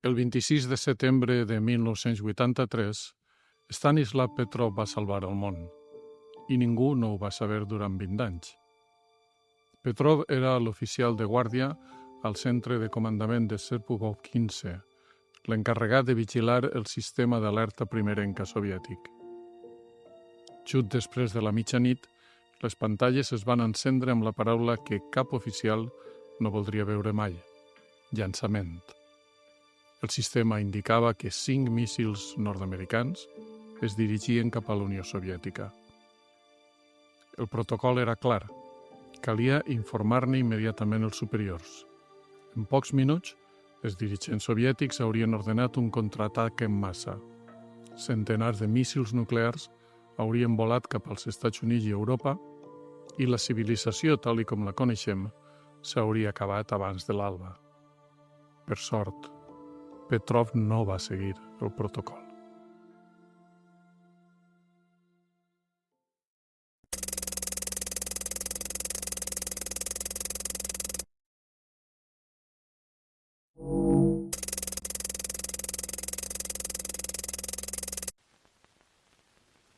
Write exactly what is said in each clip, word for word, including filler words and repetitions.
El vint-i-sis de setembre de mil nou-cents vuitanta-tres, Stanislav Petrov va salvar el món, i ningú no ho va saber durant vint anys. Petrov era l'oficial de guàrdia al centre de comandament de Serpugov quinze, l'encarregat de vigilar el sistema d'alerta primerenca soviètic. Just després de la mitjanit, les pantalles es van encendre amb la paraula que cap oficial no voldria veure mai: llançament. El sistema indicava que cinc míssils nord-americans es dirigien cap a la Unió Soviètica. El protocol era clar. Calia informar-ne immediatament els superiors. En pocs minuts, els dirigents soviètics haurien ordenat un contraatac en massa. Centenars de míssils nuclears haurien volat cap als Estats Units i Europa i la civilització, tal i com la coneixem, s'hauria acabat abans de l'alba. Per sort, Petrov no va seguir el protocol.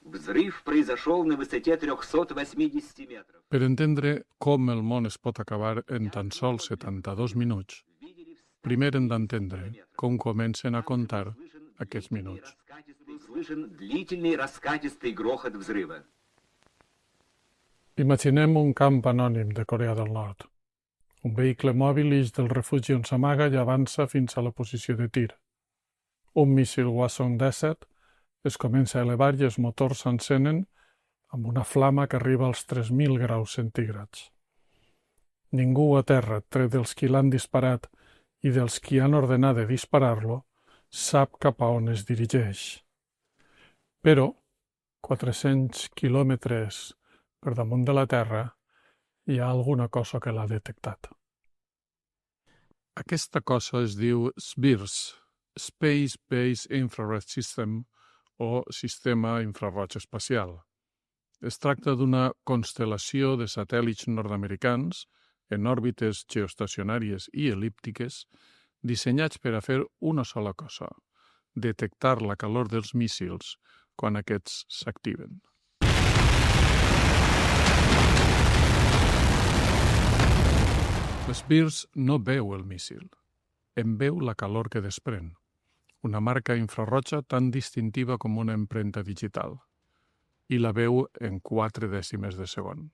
Взрыв произошел на высоте триста восемьдесят метров. Per entendre com el món es pot acabar en tan sols setanta-dos minuts, primer hem d'entendre com comencen a comptar aquests minuts. Слышен длительный раскатистый грохот взрыва. Imaginem un camp anònim de Corea del Nord. Un vehicle mòbil ix del refugi on s'amaga i avança fins a la posició de tir. Un míssil Hwasong disset es comença a elevar i els motors s'encenen amb una flama que arriba als tres mil graus centígrads. Ningú a terra, tret dels qui l'han disparat i dels qui han ordenat de disparar-lo, sap cap a on es dirigeix. Però, quatre-cents quilòmetres per damunt de la Terra, hi ha alguna cosa que l'ha detectat. Aquesta cosa es diu S B I R S, Space Based Infrared System, o Sistema Infraroig Espacial. Es tracta d'una constel·lació de satèl·lits nord-americans en òrbites geoestacionàries i el·líptiques dissenyats per a fer una sola cosa: detectar la calor dels míssils quan aquests s'activen. L'S B I R S no veu el míssil, en veu la calor que desprèn, una marca infrarroja tan distintiva com una empremta digital, i la veu en quatre dècimes de segon.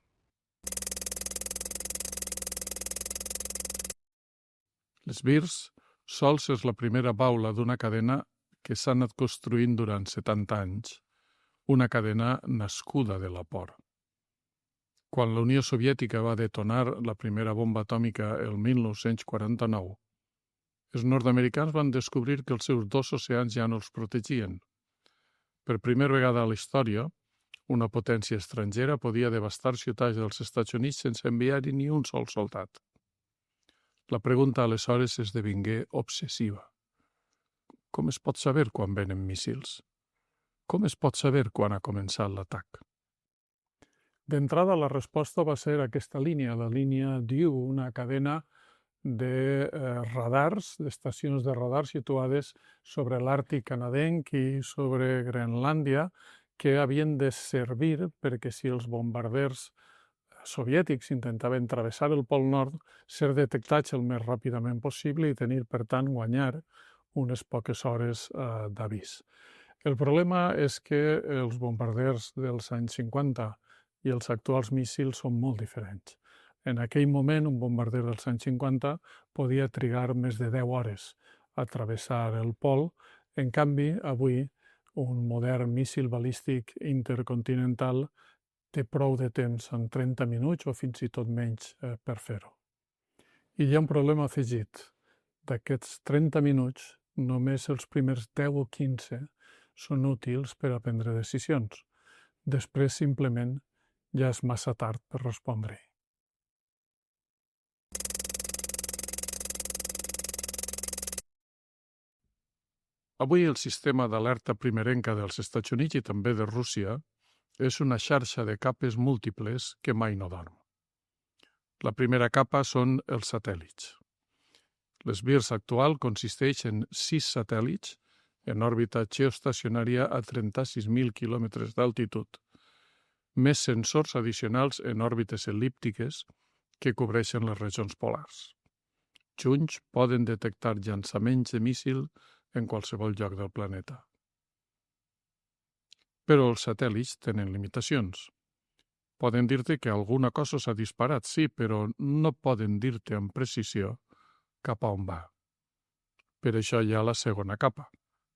L'S B I R S sols és la primera baula d'una cadena que s'ha anat construint durant setanta anys, una cadena nascuda de la por. Quan la Unió Soviètica va detonar la primera bomba atòmica el mil nou-cents quaranta-nou, els nord-americans van descobrir que els seus dos oceans ja no els protegien. Per primera vegada a la història, una potència estrangera podia devastar ciutats dels Estats Units sense enviar-hi ni un sol soldat. La pregunta aleshores esdevingué obsessiva. Com es pot saber quan venen míssils? Com es pot saber quan ha començat l'atac? D'entrada, la resposta va ser aquesta línia, la línia D U, una cadena de eh, radars, d'estacions de radar situades sobre l'Àrtic canadenc i sobre Groenlàndia, que havien de servir perquè si els bombarders soviètics intentaven travessar el Pol Nord, ser detectats el més ràpidament possible i tenir, per tant, guanyar unes poques hores eh, d'avís. El problema és que els bombarders dels anys cinquanta i els actuals míssils són molt diferents. En aquell moment, un bombarder dels anys cinquanta podia trigar més de deu hores a travessar el pol. En canvi, avui, un modern míssil balístic intercontinental té prou de temps, en trenta minuts o fins i tot menys, eh, per fer-ho. I hi ha un problema afegit. D'aquests trenta minuts, només els primers deu o quinze són útils per a prendre decisions. Després, simplement, ja és massa tard per respondre-hi. Avui el sistema d'alerta primerenca dels Estats Units i també de Rússia és una xarxa de capes múltiples que mai no dorm. La primera capa són els satèl·lits. L'Sbirsk actual consisteix en sis satèl·lits en òrbita geoestacionària a trenta-sis mil quilòmetres d'altitud, més sensors addicionals en òrbites el·líptiques que cobreixen les regions polars. Junts poden detectar llançaments de míssil en qualsevol lloc del planeta. Però els satèl·lits tenen limitacions. Poden dir-te que alguna cosa s'ha disparat, sí, però no poden dir-te amb precisió cap a on va. Per això hi ha la segona capa,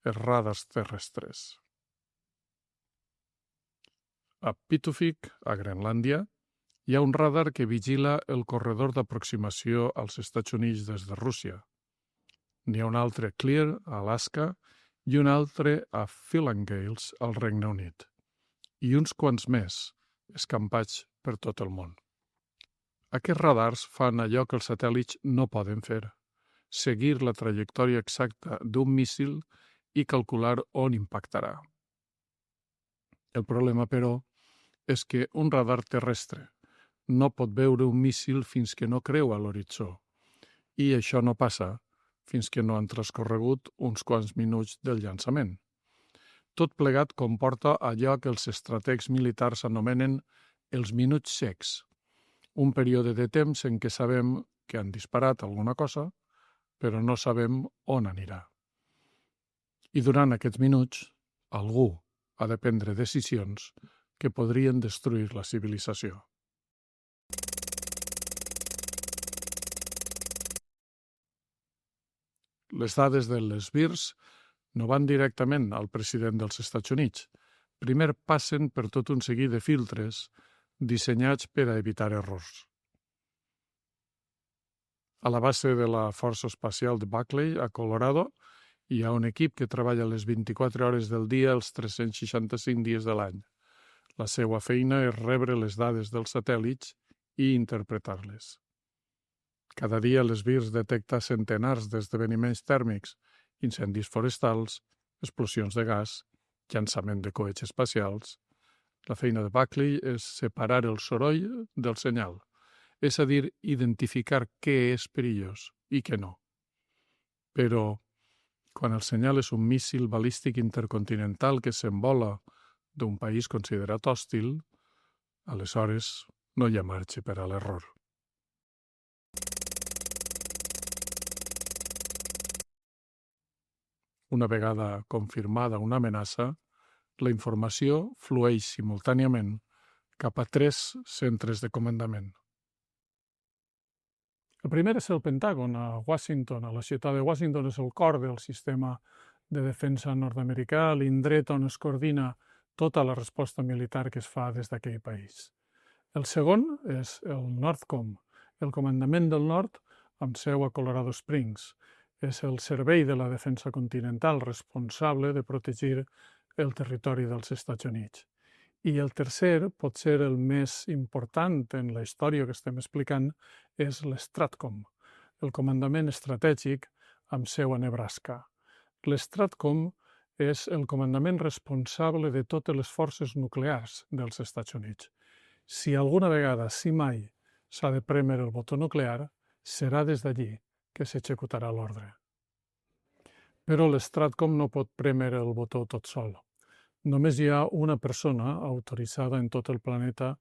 els radars terrestres. A Pituffik, a Grenlàndia, hi ha un radar que vigila el corredor d'aproximació als Estats Units des de Rússia. N'hi ha un altre a Clear, a Alaska, i un altre a Philangales, al Regne Unit, i uns quants més escampats per tot el món. Aquests radars fan allò que els satèl·lits no poden fer, seguir la trajectòria exacta d'un míssil i calcular on impactarà. El problema, però, és que un radar terrestre no pot veure un míssil fins que no creua l'horitzó, i això no passa fins que no han transcorregut uns quants minuts del llançament. Tot plegat comporta allò que els estrategs militars anomenen els minuts secs, un període de temps en què sabem que han disparat alguna cosa, però no sabem on anirà. I durant aquests minuts, algú ha de prendre decisions que podrien destruir la civilització. Les dades de l'Sbirsk no van directament al president dels Estats Units. Primer passen per tot un seguit de filtres dissenyats per a evitar errors. A la base de la Força Espacial de Buckley, a Colorado, hi ha un equip que treballa les vint-i-quatre hores del dia els tres-cents seixanta-cinc dies de l'any. La seva feina és rebre les dades dels satèl·lits i interpretar-les. Cada dia l'Sbirsk detecta centenars d'esdeveniments tèrmics, incendis forestals, explosions de gas, llançament de coets espacials. La feina de Buckley és separar el soroll del senyal, és a dir, identificar què és perillós i què no. Però, quan el senyal és un míssil balístic intercontinental que s'envola d'un país considerat hòstil, aleshores no hi ha marge per a l'error. Una vegada confirmada una amenaça, la informació flueix simultàniament cap a tres centres de comandament. El primer és el Pentàgon, a Washington. A la ciutat de Washington és el cor del sistema de defensa nord-americà, l'indret on es coordina tota la resposta militar que es fa des d'aquell país. El segon és el NORTHCOM, el Comandament del Nord, amb seu a Colorado Springs. És el Servei de la Defensa Continental responsable de protegir el territori dels Estats Units. I el tercer, pot ser el més important en la història que estem explicant, és l'STRATCOM, el Comandament Estratègic amb seu a Nebraska. L'STRATCOM és el comandament responsable de totes les forces nuclears dels Estats Units. Si alguna vegada, si mai, s'ha de prémer el botó nuclear, serà des d'allí que s'executarà l'ordre. Però l'STRATCOM no pot prémer el botó tot sol. Només hi ha una persona autoritzada en tot el planeta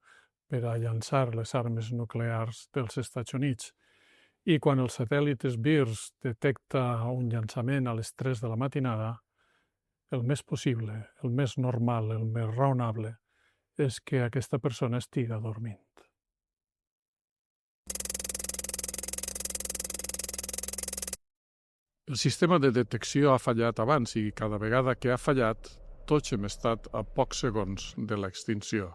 per a llançar les armes nuclears dels Estats Units. I quan el satèl·lit Sbirsk detecta un llançament a les tres de la matinada, el més possible, el més normal, el més raonable, és que aquesta persona estiga dormint. El sistema de detecció ha fallat abans i cada vegada que ha fallat, tots hem estat a pocs segons de l'extinció.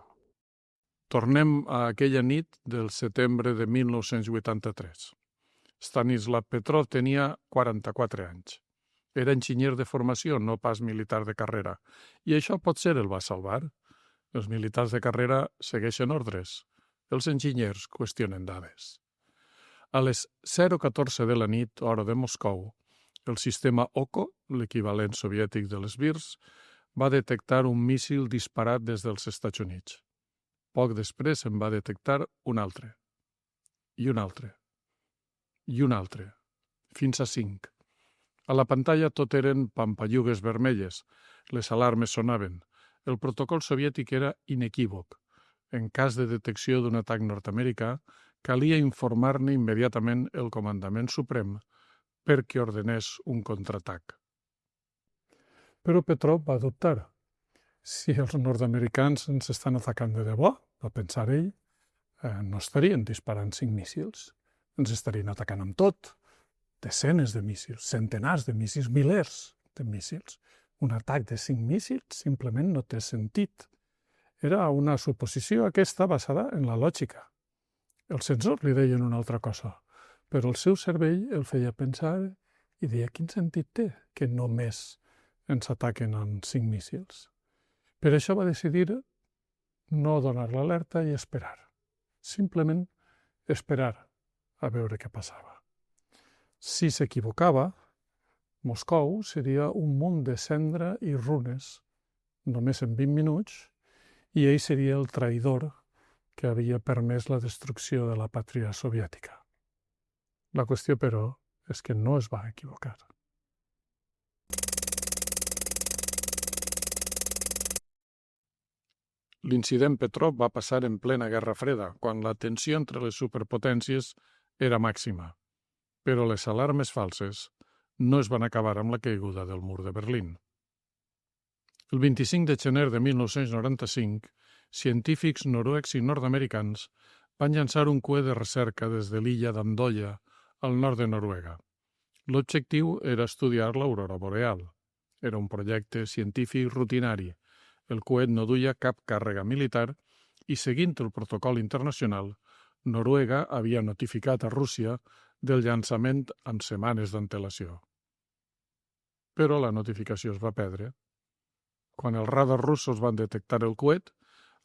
Tornem a aquella nit del setembre de mil nou-cents vuitanta-tres. Stanislav Petrov tenia quaranta-quatre anys. Era enginyer de formació, no pas militar de carrera, i això potser el va salvar. Els militars de carrera segueixen ordres. Els enginyers qüestionen dades. A les zero catorze de la nit, hora de Moscou, el sistema O C O, l'equivalent soviètic de l'Sbirsk, va detectar un míssil disparat des dels Estats Units. Poc després en va detectar un altre, i un altre, i un altre, fins a cinc. A la pantalla tot eren pampallugues vermelles. Les alarmes sonaven. El protocol soviètic era inequívoc. En cas de detecció d'un atac nord-americà, calia informar-ne immediatament el comandament suprem perquè ordenés un contraatac. Però Petrov va dubtar. Si els nord-americans ens estan atacant de debò, va pensar ell, eh, no estarien disparant cinc míssils. Ens estarien atacant amb tot. Desenes de míssils, centenars de míssils, milers de míssils. Un atac de cinc míssils simplement no té sentit. Era una suposició aquesta basada en la lògica. Els sensors li deien una altra cosa, però el seu cervell el feia pensar i deia quin sentit té que només ens ataquen amb cinc míssils. Per això va decidir no donar l'alerta i esperar. Simplement esperar a veure què passava. Si s'equivocava, Moscou seria un munt de cendra i runes només en vint minuts i ell seria el traïdor que havia permès la destrucció de la pàtria soviètica. La qüestió, però, és que no es va equivocar. L'incident Petrov va passar en plena Guerra Freda, quan la tensió entre les superpotències era màxima. Però les alarmes falses no es van acabar amb la caiguda del mur de Berlín. El vint-i-cinc de gener de mil nou-cents noranta-cinc, científics noruecs i nord-americans van llançar un coet de recerca des de l'illa d'Andoya, al nord de Noruega. L'objectiu era estudiar l'aurora boreal. Era un projecte científic rutinari. El coet no duia cap càrrega militar i, seguint el protocol internacional, Noruega havia notificat a Rússia del llançament amb setmanes d'antelació. Però la notificació es va perdre. Quan els radars russos van detectar el coet,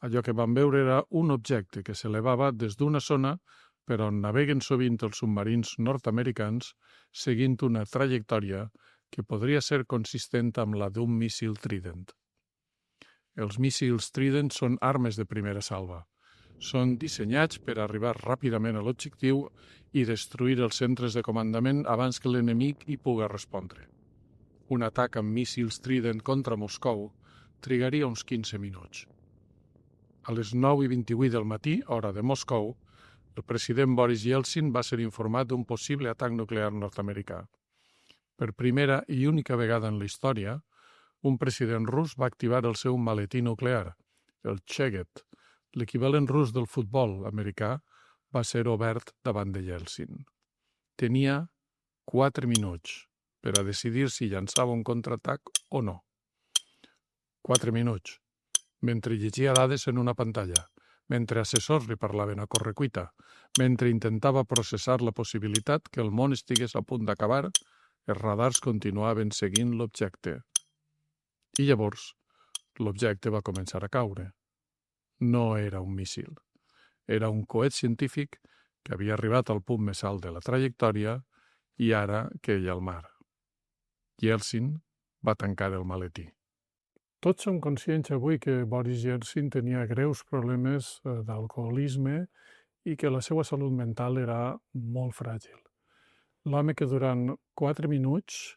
allò que van veure era un objecte que s'elevava des d'una zona per on naveguen sovint els submarins nord-americans seguint una trajectòria que podria ser consistent amb la d'un míssil Trident. Els míssils Trident són armes de primera salva. Són dissenyats per arribar ràpidament a l'objectiu i destruir els centres de comandament abans que l'enemic hi pugui respondre. Un atac amb míssils Trident contra Moscou trigaria uns quinze minuts. A les nou i vint-i-vuit del matí, hora de Moscou, el president Boris Yeltsin va ser informat d'un possible atac nuclear nord-americà. Per primera i única vegada en la història, un president rus va activar el seu maletí nuclear, el Cheget. L'equivalent rus del futbol americà va ser obert davant de Yeltsin. Tenia quatre minuts per a decidir si llançava un contraatac o no. Quatre minuts, mentre llegia dades en una pantalla, mentre assessors li parlaven a correcuita, mentre intentava processar la possibilitat que el món estigués a punt d'acabar, els radars continuaven seguint l'objecte. I llavors, l'objecte va començar a caure. No era un míssil. Era un coet científic que havia arribat al punt més alt de la trajectòria i ara queia al mar. Yeltsin va tancar el maletí. Tots som conscients avui que Boris Yeltsin tenia greus problemes d'alcoholisme i que la seva salut mental era molt fràgil. L'home que durant quatre minuts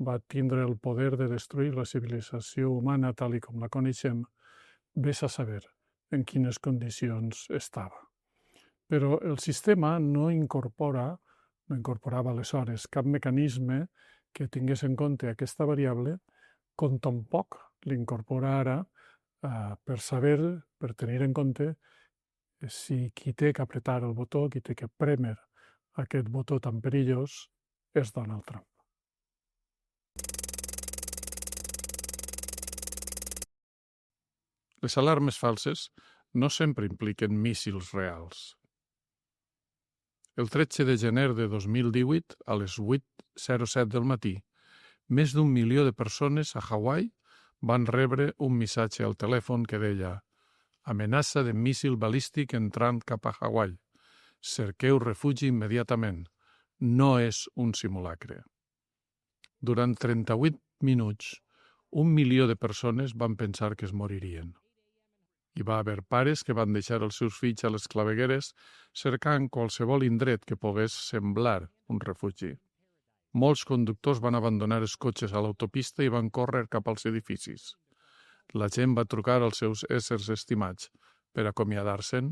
va tindre el poder de destruir la civilització humana tal i com la coneixem, vés a saber en quines condicions estava. Però el sistema no incorpora, no incorporava aleshores cap mecanisme que tingués en compte aquesta variable, com tampoc l'incorpora ara eh, per saber, per tenir en compte si qui té que apretar el botó, qui té que prémer aquest botó tan perillós, és Donald Trump. Les alarmes falses no sempre impliquen míssils reals. El tretze de gener de dos mil divuit, a les vuit zero set del matí, més d'un milió de persones a Hawaii van rebre un missatge al telèfon que deia «Amenaça de míssil balístic entrant cap a Hawaii. Cerqueu refugi immediatament. No és un simulacre». Durant trenta-vuit minuts, un milió de persones van pensar que es moririen. Hi va haver pares que van deixar els seus fills a les clavegueres cercant qualsevol indret que pogués semblar un refugi. Molts conductors van abandonar els cotxes a l'autopista i van córrer cap als edificis. La gent va trucar als seus éssers estimats per acomiadar-se'n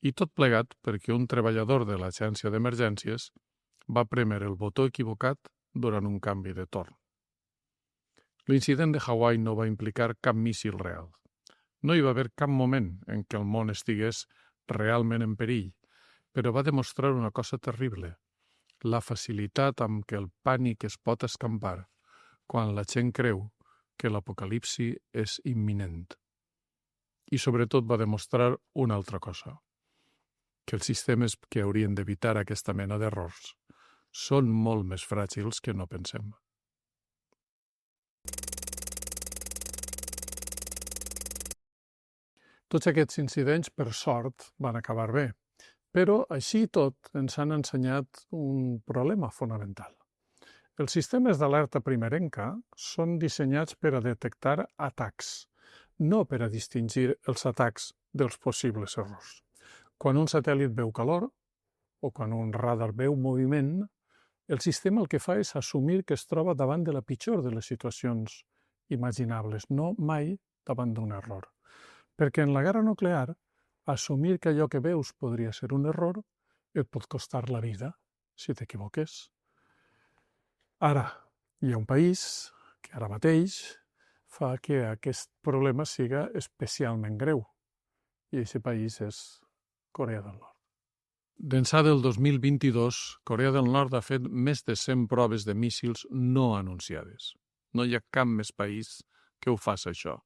i tot plegat perquè un treballador de l'agència d'emergències va prémer el botó equivocat durant un canvi de torn. L'incident de Hawaii no va implicar cap míssil real. No hi va haver cap moment en què el món estigués realment en perill, però va demostrar una cosa terrible, la facilitat amb què el pànic es pot escampar quan la gent creu que l'apocalipsi és imminent. I sobretot va demostrar una altra cosa, que els sistemes que haurien d'evitar aquesta mena d'errors són molt més fràgils que no pensem. Tots aquests incidents, per sort, van acabar bé, però així i tot ens han ensenyat un problema fonamental. Els sistemes d'alerta primerenca són dissenyats per a detectar atacs, no per a distingir els atacs dels possibles errors. Quan un satèl·lit veu calor o quan un radar veu moviment, el sistema el que fa és assumir que es troba davant de la pitjor de les situacions imaginables, no mai davant d'un error. Perquè en la guerra nuclear, assumir que allò que veus podria ser un error et pot costar la vida, si t'equivoques. Ara, hi ha un país que ara mateix fa que aquest problema siga especialment greu, i aquest país és Corea del Nord. D'ençà del dos mil vint-i-dos, Corea del Nord ha fet més de cent proves de míssils no anunciades. No hi ha cap més país que ho faci això.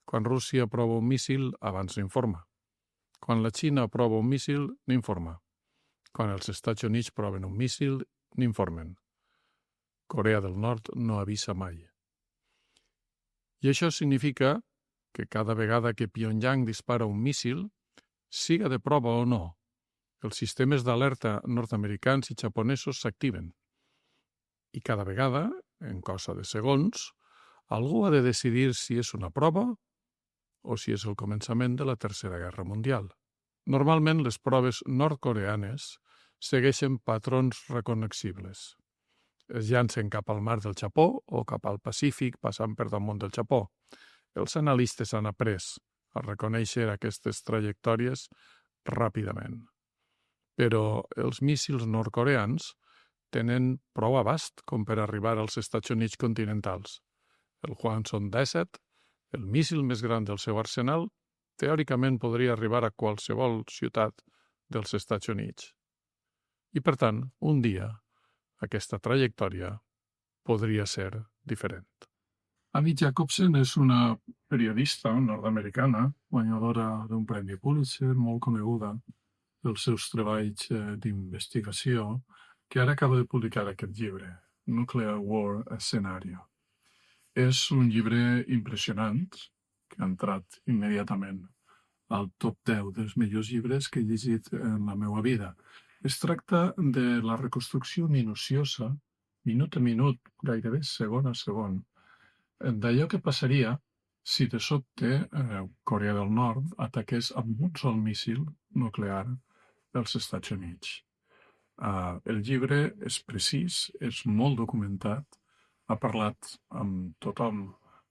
Quan Rússia aprova un míssil, abans n'informa. Quan la Xina aprova un míssil, n'informa. Quan els Estats Units proven un míssil, n'informen. Corea del Nord no avisa mai. I això significa que cada vegada que Pyongyang dispara un míssil, siga de prova o no, els sistemes d'alerta nord-americans i japonesos s'activen. I cada vegada, en cosa de segons, algú ha de decidir si és una prova o si és el començament de la Tercera Guerra Mundial. Normalment, les proves nord-coreanes segueixen patrons recognoscibles. Es llancen cap al mar del Japó o cap al Pacífic passant per damunt del Japó. Els analistes han après a reconèixer aquestes trajectòries ràpidament. Però els míssils nord-coreans tenen prou abast com per arribar als Estats Units continentals. El Hwasong disset, el míssil més gran del seu arsenal, teòricament podria arribar a qualsevol ciutat dels Estats Units. I, per tant, un dia, aquesta trajectòria podria ser diferent. Amy Jacobsen és una periodista nord-americana, guanyadora d'un premi Pulitzer, molt coneguda pels seus treballs d'investigació, que ara acaba de publicar aquest llibre, Nuclear War a Scenario. És un llibre impressionant, que ha entrat immediatament al top deu dels millors llibres que he llegit en la meva vida. Es tracta de la reconstrucció minuciosa, minut a minut, gairebé segon a segon, d'allò que passaria si de sobte eh, Corea del Nord ataqués amb un sol míssil nuclear dels Estats Units. Uh, el llibre és precís, és molt documentat, ha parlat amb tothom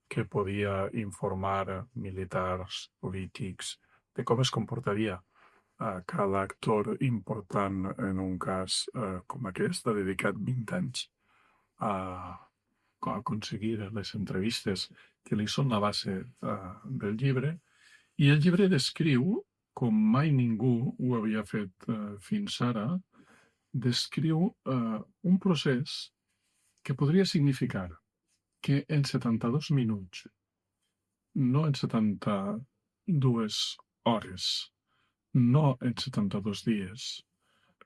que podia informar militars, polítics, de com es comportaria uh, cada actor important en un cas uh, com aquest. Ha dedicat vint anys a, a aconseguir les entrevistes que li són la base uh, del llibre, i el llibre descriu, com mai ningú ho havia fet uh, fins ara, descriu uh, un procés que podria significar que en setanta-dos minuts, no en setanta-dues hores, no en setanta-dos dies,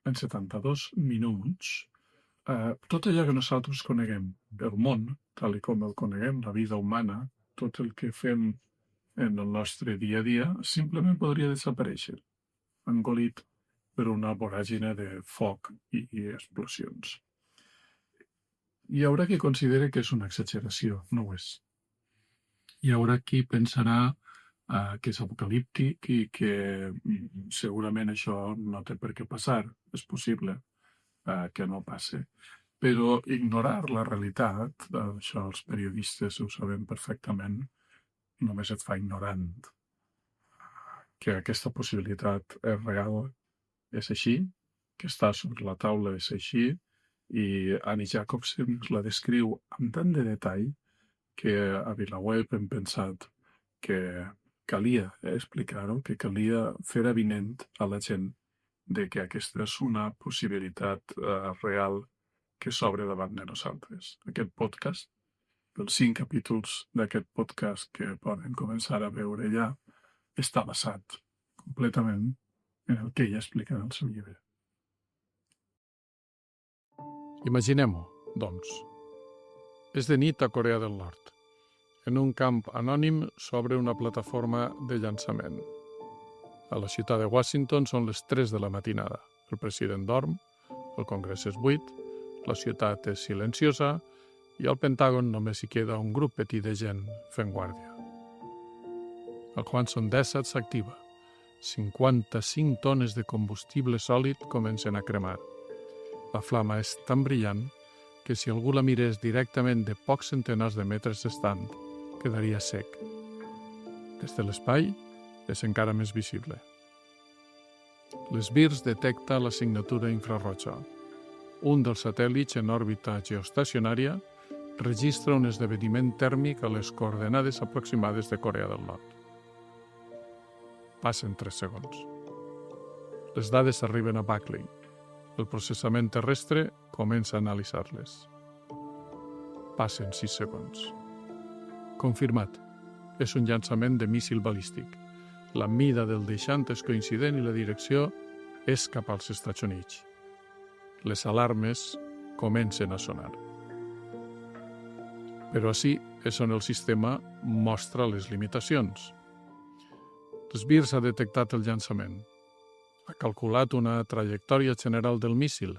en setanta-dos minuts, eh, tot allò que nosaltres coneguem, el món, tal com el coneguem, la vida humana, tot el que fem en el nostre dia a dia, simplement podria desaparèixer, engolit per una voràgine de foc i, i explosions. Hi haurà qui consideri que és una exageració, no ho és. Hi haurà qui pensarà uh, que és apocalíptic i que mm, segurament això no té per què passar. És possible uh, que no passi. Però ignorar la realitat, això els periodistes ho sabem perfectament, només et fa ignorant que aquesta possibilitat és real, és així, que està sobre la taula és així, i Annie Jacobsen la descriu amb tant de detall que a VilaWeb hem pensat que calia explicar-ho, que calia fer avinent a la gent de que aquesta és una possibilitat eh, real que s'obre davant de nosaltres. Aquest podcast, els cinc capítols d'aquest podcast que poden començar a veure ja, està basat completament en el que ella explica en el seu llibre. Imaginem-ho, doncs. És de nit a Corea del Nord. En un camp anònim s'obre una plataforma de llançament. A la ciutat de Washington són les tres de la matinada. El president dorm, el congrés és buit, la ciutat és silenciosa i al Pentàgon només hi queda un grup petit de gent fent guàrdia. El Hwasong dèsset s'activa. cinquanta-cinc tones de combustible sòlid comencen a cremar. La flama és tan brillant que si algú la mirés directament de pocs centenars de metres d'estant, quedaria sec. Des de l'espai és encara més visible. L'Esbirrs detecta la signatura infrarroja. Un dels satèl·lits en òrbita geoestacionària registra un esdeveniment tèrmic a les coordenades aproximades de Corea del Nord. Passen tres segons. Les dades arriben a Buckley. El processament terrestre comença a analitzar-les. Passen sis segons. Confirmat. És un llançament de míssil balístic. La mida del deixant és coincident i la direcció és cap als Estats Units. Les alarmes comencen a sonar. Però així és on el sistema mostra les limitacions. L'Esbirrs ha detectat el llançament. Ha calculat una trajectòria general del míssil,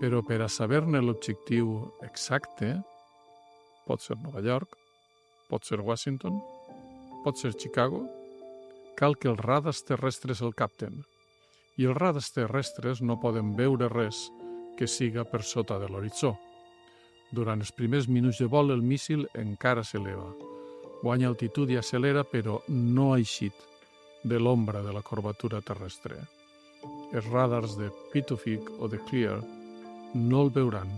però per a saber-ne l'objectiu exacte, pot ser Nova York, pot ser Washington, pot ser Chicago, cal que els radars terrestres el capten. I els radars terrestres no poden veure res que siga per sota de l'horitzó. Durant els primers minuts de vol, el míssil encara s'eleva. Guanya altitud i accelera, però no ha eixit de l'ombra de la curvatura terrestre. Els radars de Pituffik o de Clear no el veuran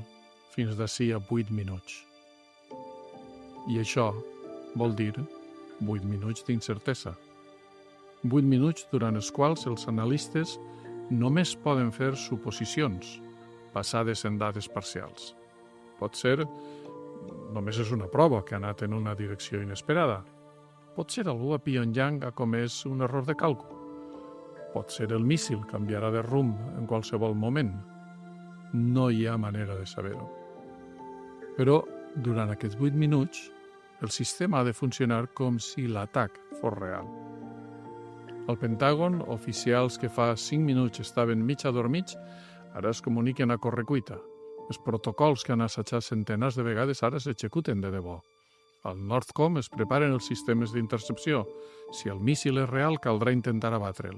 fins d'ací a vuit minuts. I això vol dir vuit minuts d'incertesa. Vuit minuts durant els quals els analistes només poden fer suposicions basades en dades parcials. Pot ser, només és una prova que ha anat en una direcció inesperada. Pot ser algú a Pyongyang ha comès un error de càlcul. Pot ser el míssil canviarà de rumb en qualsevol moment. No hi ha manera de saber-ho. Però, durant aquests vuit minuts, el sistema ha de funcionar com si l'atac fos real. Al Pentàgon, oficials que fa cinc minuts estaven mig adormits, ara es comuniquen a correcuita. Els protocols que han assajat centenars de vegades ara s'executen de debò. Al Northcom es preparen els sistemes d'intercepció. Si el míssil és real, caldrà intentar abatre'l.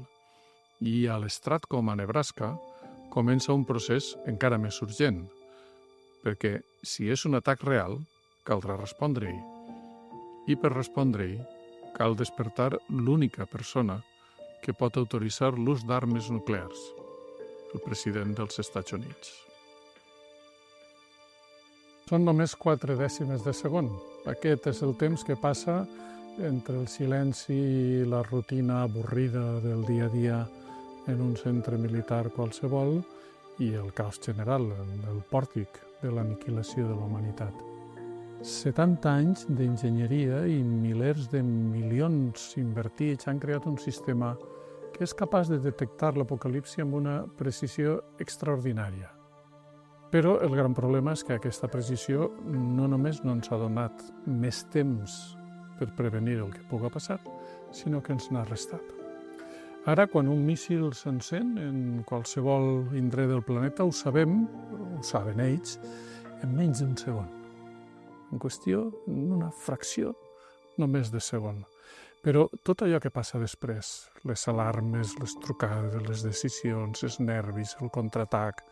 I a l'Stratcom a Nebraska comença un procés encara més urgent, perquè si és un atac real, caldrà respondre-hi. I per respondre-hi, cal despertar l'única persona que pot autoritzar l'ús d'armes nuclears, el president dels Estats Units. Són només quatre dècimes de segon. Aquest és el temps que passa entre el silenci i la rutina avorrida del dia a dia en un centre militar qualsevol i el caos general, el pòrtic de l'aniquilació de la humanitat. setanta anys d'enginyeria i milers de milions invertits han creat un sistema que és capaç de detectar l'apocalipsi amb una precisió extraordinària. Però el gran problema és que aquesta precisió no només no ens ha donat més temps per prevenir el que pugui passar, sinó que ens n'ha restat. Ara, quan un míssil s'encén en qualsevol indret del planeta, ho sabem, ho saben ells, en menys d'un segon. En qüestió, en una fracció només de segon. Però tot allò que passa després, les alarmes, les trucades, les decisions, els nervis, el contraatac,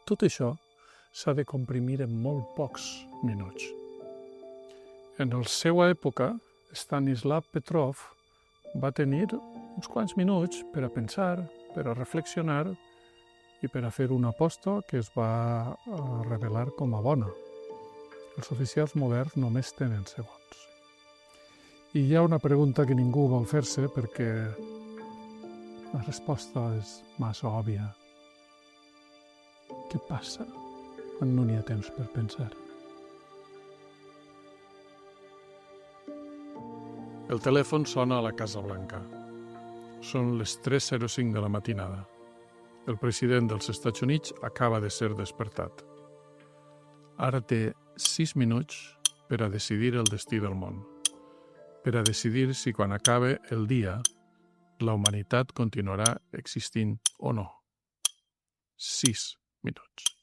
tot això s'ha de comprimir en molt pocs minuts. En la seva època, Stanislav Petrov va tenir uns quants minuts per a pensar, per a reflexionar i per a fer una aposta que es va revelar com a bona. Els oficials moderns només tenen segons. I hi ha una pregunta que ningú vol fer-se perquè la resposta és massa òbvia. Què passa quan no n'hi ha temps per pensar? El telèfon sona a la Casa Blanca. Són les tres zero cinc de la matinada. El president dels Estats Units acaba de ser despertat. Ara té sis minuts per a decidir el destí del món, per a decidir si quan acabe el dia la humanitat continuarà existint o no. Sis minuts.